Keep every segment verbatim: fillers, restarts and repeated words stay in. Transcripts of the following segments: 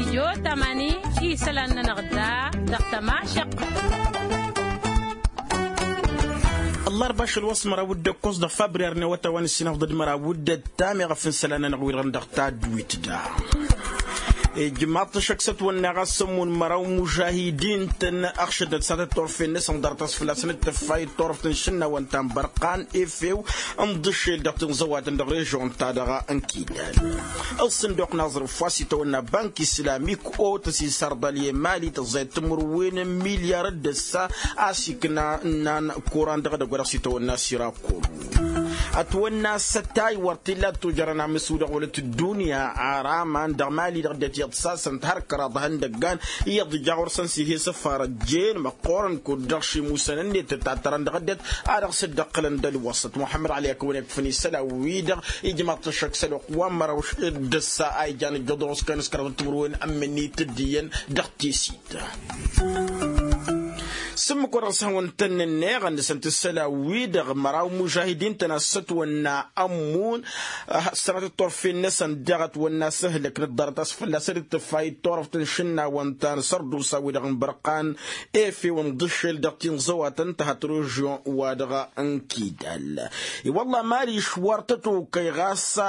Tijo tamani isălan-nănăɣ da dăɣ-tămašăqqăt. Ăllarba ašăl wa s-măraw d-ǝkkoẓ dăɣ-fabrir n-ewătawăn s-inăfḍăd măraw d-ăttam iɣăf n-isălan-nănăɣ wi-dăɣ dăɣ-tadwit da. Ijmaḍ-t ašăk s-ătwănna ɣas sămmun măraw mužahidin-tăn ăɣšădnăt s-ad-ăttorfen n-asănḍărăt a-s fălla-săn d-tǝffa i-ăttorăft n-išǝnnawăn ta n-bărqan efew n-iḍǝššel dăɣ-tinẓăwatăn dăɣ-režion-ta-dăɣ n-kidal. Ălsǝnduq n-aẓrǝf wa s-itawănna bank islamik otăs isărḍăl i-emali tăẓẓayăt timǝrwen n-milyar d-ǝssa a-s ikna ǝnnan kuran dăɣ-edăgg wa dăɣ-s itawănna sirakul. Ătwănna s-ătay wăr t-illa d-tujărăn amǝsu dăɣ-wălăt ăddunya. Ar aman dăɣ-mali-dăɣ dd-tiyyăḍ sasăn-t har kăraḍ ihăndăggan iyyăḍ ija ɣur-săn s-ih'-e s-ăfarăjjen măqqoorăn kud-dăɣ šimusăn-net ǝttattărăn dăɣ-ăddinăt a dăɣ-s dd-ăqqǝlăn d-ălwăṣṣăt muḥămmăd ăli akăwăn ikfăn isălan-wi-dăɣ. Ijmaḍ-t ăššăk s-ălwăqq wa n-mărăw d-ǝssa a ijan ǝjjăḍ ɣur-s kănăskărăḍ timǝrwen ămmǝnnit d-iyyăn dăɣ-tesit. S-ǝmmǝk wa dăɣ-s hawăn-tăn-nǝnneɣ ănnăsăn-t isălan-wi-dăɣ măraw mužahidin-tăn a-s ătwănna ămmun. Sănatăt turfen-năsăn daɣ ătwănna s-ǝhlǝk n-ǝḍḍarăt a-s fălla-săn d-tǝffa i-turăft n-išǝnnawăn ta n-sărdusa-wi-dăɣ n-bărqan efew n-iḍǝššel dăɣ-tinẓăwatăn tăhăt režion-wa-dăɣ n-kidal. I-wălla mali išwar tătokăy ɣas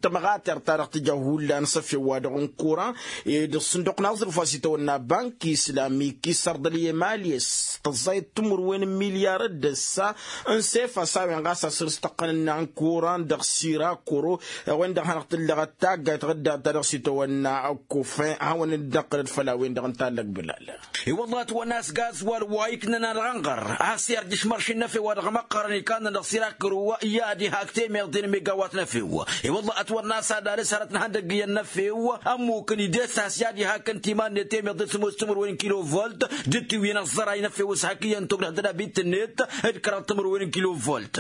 tămɣatert-ta-dăɣ tǝja hullan s-efew-wa-dăɣ n-kuran. Ed ǝssǝnduq n-aẓrǝf wa s-itawănna bank islamik isărḍăl i-emali a-s tăẓẓayăt timǝrwen n-milyar d-ǝssa n-sefa s-a-wen ɣas a săr-s tăqqăn ǝnnan kuran dăɣ-sirakuro. A-wen-dăɣ hanăɣ-tǝllăɣăt taggayt ɣǝdda ta dăɣ-s itawănna ăkkufin hawăn-dd-năqqǝlăd făll-a-wen-dăɣ ǝnta ăllăgbǝlal. I-wălla ătwănna a-s gazwal wa iknăn alɣănɣăr a-s irjǝš mărši n-efew wa dăɣ-măqqărăn ikannăn dăɣ-sirakuro i-ad-ihak temeḍe n-megawat n-efew. I-wălla ătwănna a-s ad-alǝs hărăt n-ihăndăgg iyyăn n-efew ămmukăn ides a-s i-ad-ihakăn timan-net temeḍe d-sămoos timǝrwen n-kilovolt d-tiwǝyăn ăẓẓăray n-efew s-hak iyyăn togdăh d-ădabit-net d-kăraḍ timǝrwen n-kilovolt.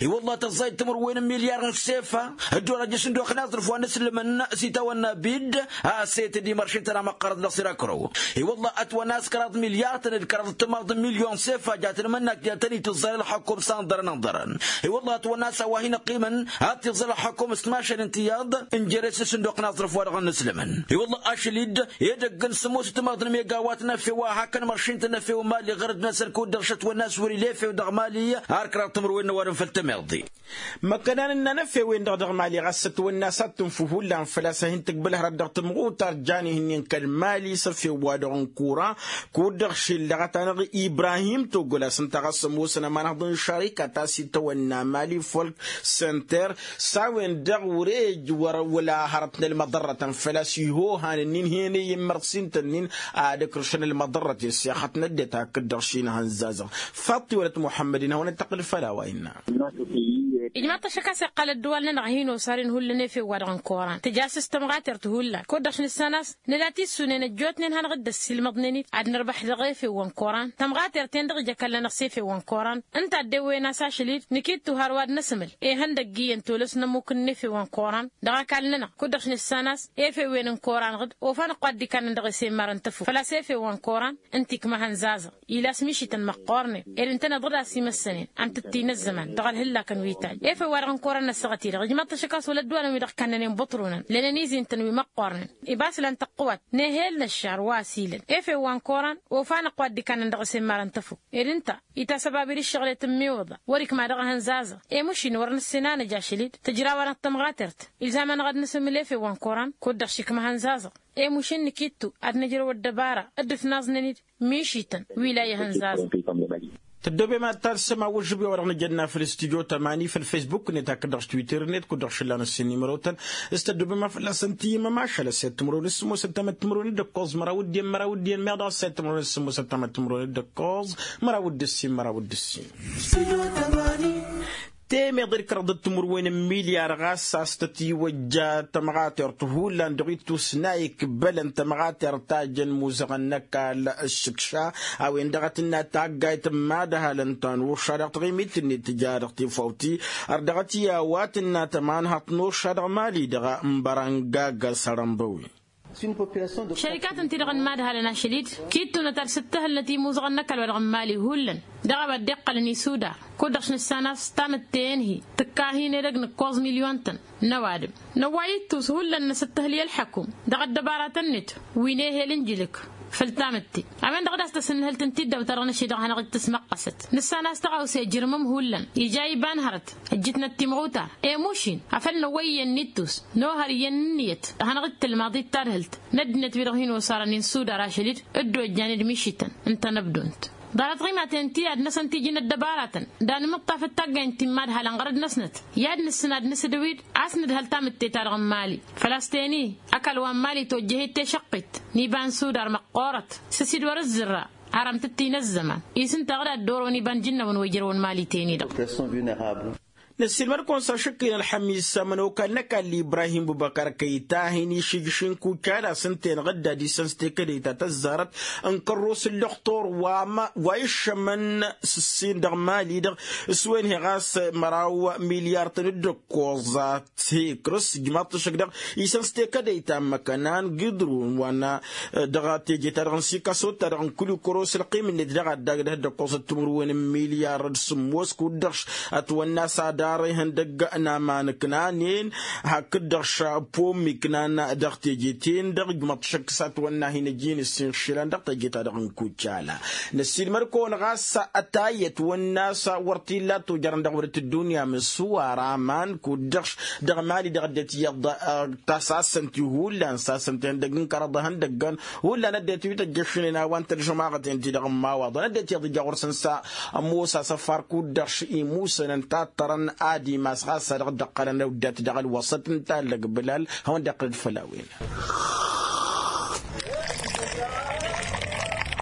I-wălla tăẓẓayăt timǝrwen n-milyar n-sefa dd-orăjjăš n-dd-oxna aẓrǝf wa n-aslǝmăn s-itawănna bid a-s e-tădimăršen tănamăqqărăt dăɣ-sirakro. I-wălla ătwănna a-s kăraḍ milyar-tăn d-kăraḍ d-timaḍ n-milyon sefa jatăn imănnak jatăn itǝẓẓay ălxăkum s-anḍărăn anḍărăn. I-wălla ătwănna a-s a-wa hin-ăqqimăn ad-t-iẓẓăl ălxăkum s-timašal n-tiyyăḍ n-jere-s n-sǝnduq n-aẓrǝf wa dăɣ-nǝslǝmăn. I-wălla ašăl-dd edăgg n-sămoos d-timaḍ n-megawat n-efew a hakăn măršin-tăn efew n-mali ɣărăd-năsăn kud-dăɣ šătwănna a-s wăr-ila efew dăɣ-mali. Ar kăraḍ timǝrwen n-ăwadǝm făll-temeḍe. Măkkănan ǝnnan efew-en-dăɣ dăɣ-mali ɣas ătwănna a-s ad-tǝnfu hullan făl-a-s a hin-tǝkbǝl hărăt dăɣ-tǝmɣutar jan ihǝnnin kăl-mali s-efew-wa-dăɣ n-kuran. Kud-dăɣ šillăɣăt-anăɣ ibrahim togăl a-s ǝnta ɣas ămoosăn ămanhăḍ n-šarikat a-s itawănna mali folk center s-a-wen-dăɣ wăr-e wăr-wăla hărăt n-ălmăḍărrătăn făl-a-s iho han ǝnnin hen-e immărsin-tăn-in ad-ǝkrǝšăn ălmăḍărrăt i-ăssexăt n-ăddinăt hakd-dăɣ šinăhăn zazăɣ. Faḍt-i wălăt muḥămmăd-in hawăn-dd-tăqqǝl făll-a-wa innă. Ijmaḍ-t ăššăk a-s iqqăl ăddăwal-nănăɣ hin-osaren hullan efew-wa-dăɣ n-koran tǝja a-s s-tămɣatert hullan kud-dăɣ š-nǝssan a-s nǝla tissunen ăjjootnen hanăɣ-dd-ăssiilmăḍnen-dd ad-nǝrbăḥ dăɣ-efew wa n-koran. Tămɣatert-en-dăɣ ija-kall-nănăɣ s-efew wa n-koran ǝnta a dd-ewwen a-s ašăl-dd nǝkittu har wa d-năsmǝl ihăndăgg iyyăn tolăs n-ămmuk n-efew wa n-koran. Dăɣ-akall-nănăɣ kud-dăɣ š-nǝssan a-s efew-en n-koran ɣǝd ofan ăqqu ad-dd-ikannăn dăɣ-esemmar n-tăfuk făl-a-s efew wa n-koran ǝnta ikmăhăn zazăɣ. Ila s-mišităn măqqoornen ed ǝntăneḍ-dd a-s imăssănen ăntǝttǝy n-ăzzăman dăɣ-ălhǝllak n-witaj efew-wa-dăɣ n-koran n-ăssaɣăt-i-dăɣ ijmaḍ-t ašăk a-s wăla ăddăwalăn wi dăɣ-kannănen băṭrunăn lănen izin-tăn wi măqqoornen. Ibaslan tăqqǝwat n-ehel n-ăššar wa ăsilăn efew wa n-koran ofan ăqqu ad-dd-ikannăn dăɣ-esemmar n-tăfuk ed ǝnta itasăbab-dd ǝššăɣǝl i-tǝmmiwǝḍa wăr-ikma dăɣ-ehăn zazăɣ. Emušin wăr nǝssin a nǝj ašăl-dd tǝjrawăn ad-tămɣatert ilzam-anăɣ ad-nǝsǝmmǝl efew wa n-koran kud-dăɣ šikmăhăn zazăɣ. Emušin nǝkittu ad-nǝjrăw ăddăbara dd-ǝtnaẓnen-dd mišităn wi la ihăn zazăɣ. Tăddobem ad-talsăm awǝžžǝb i-wa-dăɣ nǝjănna făll-studyo tămani făll-facebook-net hakd-dăɣ s-twitter-net kud-dăɣ šǝllan ăssin n-imărotăn s-tăddobem a fălla-săn tǝyyǝmăm ašăl ăssayăt timǝrwen d-sǝmmosăt tamăttimǝrwen d-ǝkkoẓ măraw d-iyyăn măraw d-iyyăn meɣ dăɣ-ăssayăt timǝrwen d-sǝmmosăt tamăttimǝrwen d-ǝkkoẓ măraw d-ǝssin măraw d-ǝssin. Temeḍe d-kăraḍăt timǝrwen n-milyar ɣas a-s tăt-iwăjja tămɣatert hullan dăɣ-ittus n-a ikbălăn tămɣatert ta jăn muzăɣăn n-ăkall ǝššǝkša. A-wen-dăɣ a tǝnna taggayt n-imadhalăn ta n-urša dăɣ-taɣimit-net tǝja dăɣ-tifawt-i ărdăɣăt i-a-wa tǝnna tămanhăḍt n-urša dăɣ-mali-dăɣ n-bărăngag sărănbăwi. Šărikatăn-ti-dăɣ n-imadhalăn ašăl-dd kittunăt ad-sǝttǝhǝlnăt imuzăɣăn n-ăkall-wa-dăɣ n-imali hullan dăɣ-a-wa dd-iqqălăn isudar. Kud-dăɣ s-nǝssan a-s tamǝtte-en-hi tǝkka hin-edăgg nǝkkoẓ milyon-tăn n-ăwadǝm. Năwway ittus hullan n-asǝttǝhǝl i-ălḥăkum dăɣ-ăddăbaratăn-net wi n-ehel n-jǝlǝk făll-tamǝtte. A-wen-dăɣ d-a-s tăsǝnnǝhǝl tǝntidăw-ta-dăɣ n-ašăl-i-dăɣ hanăɣ-dd-tǝsmăqqăsăt. Nǝssan a-s tăɣawse ǝjrǝmăm hullan ija iba n-hărăt ăjjǝtnăt timɣutar i-mušin afăl năwwăyyen n-ittus n-ohăr iyyăn ǝnniyăt. Hanăɣ-dd-tǝlmaḍ i-tadhǝlt n-ăddinăt-wi-dăɣ hin-osarăn-in sudar ašăl-dd dd-ojjan d-mišităn n-tanăbdunt. Ḍarăt ɣimaten ti ad-năsăn tiji n-ăddăbaratăn d-anǝmǝṭṭafăt taggaynt ti n-imadhalăn ɣărăd-năsnăt i-ad-nǝssǝn ad-nǝsǝdǝw-dd a-s nǝdhăl tamǝtte-ta-dăɣ n-imali. Făl-a-s ten-i ăkall wa n-imali tojjăhet tešăqqit n-iba n-sudar măqqoorăt s-ăsidwăr ǝzzǝrra. Arăm tǝttin ăzzăman isǝntaɣ d-ad-dd-orăwăn iba n-ijǝnnawăn wa ijrăwăn mali ten-i-dăɣ. Năssiilmăd-kăwăn s-ašǝkka-in ălxămis ămănokal n-ăkall ibrahim bubăkar kăyta hin-išǝjjǝš n-kucala s-ǝnta-enăɣ dd-ad-isăn s-tekădăy ta tăzzarăt n-kărros n-lăxtur wa iššămăn s-ǝssin dăɣ-mali-dăɣ s-wen-hi ɣas măraw milyar-tăn d-ǝkkoẓ. Tikrǝs ǝjmaḍ-t ăššăk dăɣ-isăn s-tekădăy ta n-măkănan gidrun wa n-dăɣ-teje-ta-dăɣ n-sikasot-ta-dăɣ n-kǝlu kăros ălqim-net dăɣ-ad-dagdăh d-ăkkoẓăt timǝrwen n-milyar d-sǝmmos kud-dăɣ ătwănna s-adar ihăndăgg n-aman ǝknanen hakd-dăɣ šapom iknan dăɣ-teje-ten-dăɣ ǝjmăḍ-t šăkk s-atwănna hin-ăjin ǝssin išilan dăɣ-teje-ta-dăɣ n-kucala. Năssiilmăd-kăwăn ɣas ătayăt wănna s-wăr t-illa tojărăn dăɣ-wăr t-ǝddunya mǝssuwar aman kud-dăɣ dăɣ-mali-dăɣ ăddinăt iyyăḍ. Tasasăn-ti hullan sasăn-ti ihăndăgg n-kărăḍ ihăndăggăn hullan ăddinăt wi tăjjăšnen a-wa n-tălžămaɣăt-en-ti-dăɣ n-imawaḍăn ăddinăt iyyăḍ ija ɣur-săn s-ămoos asăfar kud-dăɣ imusănăn tattărăn ad-imas ɣas a dăɣ-dd-ăqqălăn ăwdăt dăɣ-ălwăsăt n-tallăg bǝlal hawăn-dd-iqqǝl-dd făll-a-wen.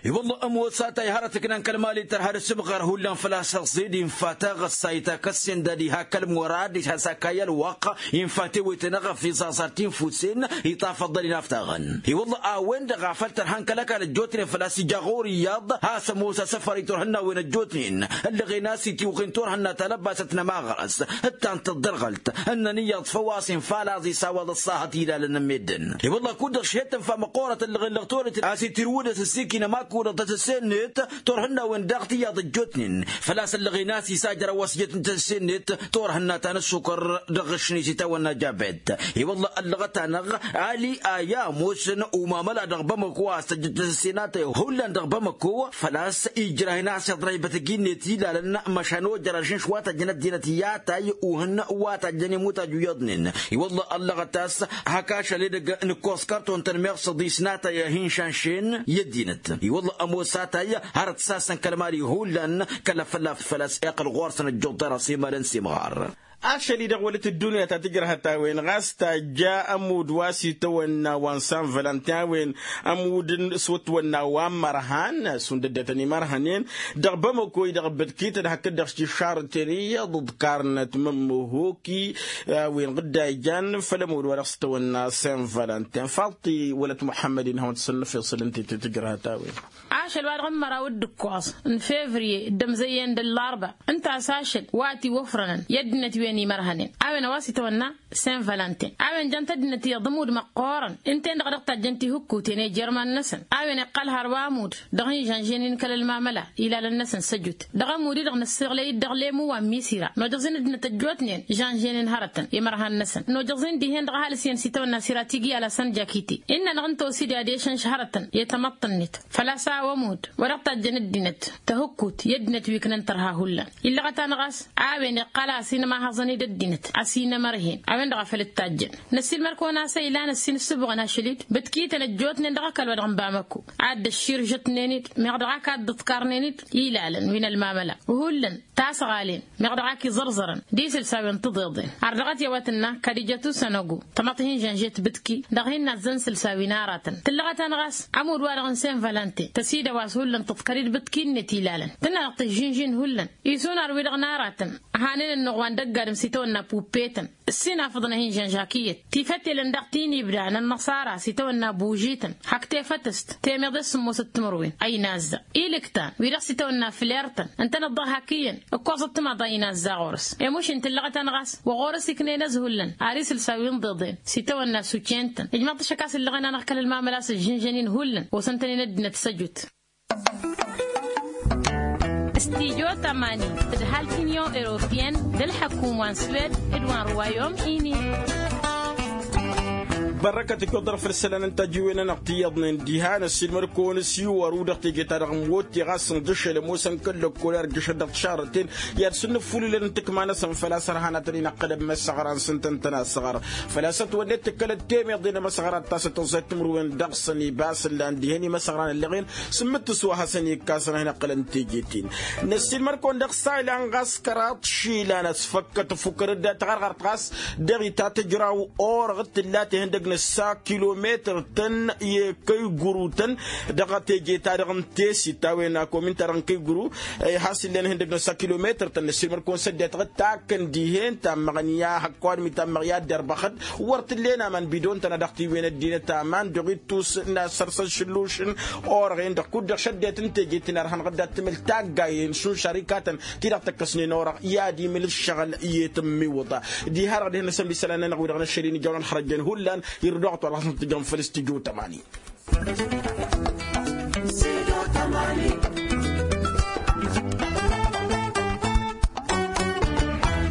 I-wălla ămoos a-ta-i hărăt ǝknan kăl-mali tărha d-asǝbɣar hullan făl-a-s ăẓẓed infa taɣăssayt akăssen d-ad-iha kăl-murad d-iha s-akay ălwăqq. Infa tewăyten aɣăf iẓaẓar tinfusen iṭaf ăḍḍăl inaftaɣăn. I-wălla a-wen-dăɣ a făl tărha n-kăl-ăkall ăjjootnen făl-a-s ija ɣur-iyyăḍ a-s ămoos asăfăr i-turhǝnnawen ăjjootnen ǝllăɣen a-s itiwɣen turhǝnna talăbbasăt n-ămaɣrăs d-ta n-tǝḍḍărɣălt. Ǝnnăn iyyăḍ făw-as infa laẓ isawaḍ ăṣṣahăt ilalăn n-meddǝn. I-wălla kud-dăɣ šhed tǝnfa măqqoorăt ǝllăɣen dăɣ-torăyt a-s itirwǝdăs ǝssikǝn ămakudăɣ tasǝsse-net. Turhǝnnawen daɣ tiyyăḍ ăjjootnen făl-a-s ǝllăɣen a-s isajăr ăwwăsjăt n-tasǝsse-net. Turhǝnna ta n-ăssukăr dăɣ-ašni s-itawănna jabet. I-wălla ăllăɣăt-anăɣ ali a i-ămoosăn umamăla dăɣ-bamăko a-s tăjjăt tasǝsse n-atăy hullan dăɣ-bamăko făl-a-s ijrăhăn a-s iḍrăy bătăj-net ilalăn măšan ojăr ažǝnš wa tăjjăn ăddinăt i-atay uhǝn wa tăjjăn imutaj wi iyyăḍnen. I-wălla ăllăɣăt a-s hak ašăl edăgg nǝkkoẓ kărton-tăn meɣ s-ăḍis n-atay a hin-šanšen i-ăddinăt. I-wălla ămoos atay hărăt s-asăn kăl-mali hullan kăl-afălla făl-a-s iqqăl ɣur-săn ăjjuḍ-ta-dăɣ s-imalăn s-imɣar. Ašăl-i-dăɣ wălăt ăddunya ta tǝjrăhăt a-wen ɣas tajja ămudd wa s-itawănna wa n-san vălăntin a-wen ămudd s-wătwănna wa n-imărhan šund ăddinătăn imărhănen dăɣ-bamăko-i-dăɣ bǝdkităn hakd-dăɣ s-tiššarăten iyyăḍ ǝḍkarnăt mămmuhuki. A-wen ɣǝdda ijan făll-ămudd wa dăɣ-s tawănna sen vălăntin faḍt-i wălăt muḥămmăd-in hawăn-t sănnăf iṣǝl ǝnta i-tǝjrăhăt a-wen. Ašăl wa dăɣ-n măraw d-ǝkkoẓ n-fevriye dd-ămzăyyăn d-ăllarba ǝnta a-s ašăl wa t-iwăfrănăn i-ăddinăt wi ănimărhănen a-wen a-wa s-itawănna sen vălăntin a-wen jăn-t ăddinăt iyyăḍ ămudd măqqoorăn ǝnta-en-dăɣ a dăɣ-tajjăn tihǝkkuten i-jerman-năsăn. A-wen iqqăl hărwa ămudd dăɣ-hin-žănžen-in kăl-ălmamăla ilalăn-năsăn săjut dăɣ-ămudd-i-dăɣ nǝssăɣlăy-dd dăɣ-lemu wa n-misira nojăẓ-in ăddinăt ăjjootnen žănžen-in hărătăn imărhan-năsăn nojăẓ-in dihen-dăɣ ăhalǝs iyyăn s-itawănna sirati giyal a-s ănja kite. Innă-năɣ ǝnta osidǝy ad-ešănš hărătăn i-tamăḍt-net făl-a-s a-wa ămudd wa dăɣ-tajjăn ăddinăt tihǝkkut i-ăddinăt wi ǝknăn tărha hullan. Illăɣăt-anăɣ a-s a-wen iqqăl a ăsinămahăẓăn-dd ăddinăt ăsinămărhen a-wen-dăɣ a făl dd-tajjăn. Năssiilmăr-kăwăn a-s ăylan ăsinǝssǝbɣăn ašăl-dd bǝtkităn ăjjootnen dăɣ-ăkall wa dăɣ-n bamăko ad-dd-ăšširžătnen-dd meɣ dăɣ-ak ad-dd-ǝḍkarnen-dd ilalăn wi n-ălmamăla hullan tasɣalen meɣ dăɣ-ak iẓărẓărăn d-isǝlsawen n-tiḍeḍen. Ar dăɣ-t i-a-wa tǝnna kadijăt usănăgu tamăḍt hin-žănžet bǝtki dăɣ-hin-nazzăn isǝlsawen aratăn tǝllăɣăt-anăɣ a-s ămudd-wa-dăɣ n-sen vălăntin tăsidăw a-s hullan tǝḍkăr-dd bǝtki-net ilalăn tǝnna dăɣ-tǝžžǝnžin hullan. Isunar-wi-dăɣ n-aratăn hanen ănnuɣ wa n-dăgg-ad. s-itawănna puppetăn. Ǝssin afǝḍăn-ahi n-žănžakǝyyăt tifătelăn dăɣ-tinibda n-ănnăṣara s-itawănna bužităn hak tefătăst temeḍe s-sǝmmosăt timǝrwen a inazza. Ilǝktan wi-dăɣ s-itawănna flertăn ǝntăneḍ-dăɣ hak iyyăn ǝkkoẓăt timaḍa inazza ɣur-s. Emuš-in tǝllăɣăt-anăɣ a-s wa ɣur-s iknăyăn ăzhullăn ar isǝlsa wi n-iḍeḍen s-itawănna sucentăn ijmaḍ-t ašăk a-s ǝllăɣen-anăɣ kăl-ălmamăla s-ăžžǝnžăn-in hullan osăn-tăn-in ăddinăt s-ăjut. Studyo tămani d-ăhalk n-inyon europiyăn d-ălḥăkum wa n-swed d-wa n-ruwayom-ini. Bărrăkăt ǝkkoḍăr făll-isălan n-tajǝwen-anăɣ ti iyyăḍnen diha năssiilmăd-kăwăn s-iwăru dăɣ-teje-ta-dăɣ n-wotte ɣas ǝnḍǝšăl ămoosăn kăl-lăkkol i-ad-ǝjjăšăt dăɣ-tišarrăten i-ad-săn-nǝfulǝlăn n-tǝkma-năsăn făl-a-s ărhan ad-tăn-in-ăqqălăn imăssăɣra-nsǝntăn tănasăɣra. Făl-a-s ătwănnet tǝkkălăt temeḍe n-emăsăɣra ta s-tăẓẓayt timǝrwen dăɣ-săn ibas ǝllan dihen imăsăɣra n-ăllăɣen. Sǝmmǝttǝs wa hasăn-ikkasăn ad-hin-ăqqălăn teje-ten. Năssiilmăd-kăwăn dăɣ-saylan ɣas kăraḍ išilan ăsfăkkăt ăfukărăt dat-taɣărɣart ɣas dăɣ-itatăjraw orăɣ t-tǝlla tehăndăg n-ăssa kilometăr-tăn i-kăy-gurutăn. Dăɣ-teje-ta-dăɣ n-tesit ta-wen akomin-ta-dăɣ n-kăy-guru. Has-illen ihăndăg n-ăssa kilometăr-tăn năssiilmăd-kăwăn s-ăddinăt ɣǝd takkăn dihen tammăɣ n-i-a hăkk ăwadǝm itammăɣ i-ad-dd-ărbăxăd. Wăr t-ǝllen aman bidon-tăn a dăɣ-tiwen ăddinăt aman dăɣ-ittus n-asărs ăššǝllušăn orăɣen-dăɣ kud-dăɣ šăddinăt n-teje-t-in ărhănăɣ-dd ad-tǝmǝl taggayen šund šarikatăn ti-dăɣ tăkkăsnen orăɣ i-ad-imǝl ǝššăɣǝl i-tǝmmiwǝḍa. Diha-dăɣ dihen-năsăn wi isălan-nănăɣ wi-dăɣ n-ăššăl-in ijawăn ălxărăjjen hullan. Irǝd oɣăt wa dăɣ-hasăn-tǝjrăm făll-s tǝjǝw tămani.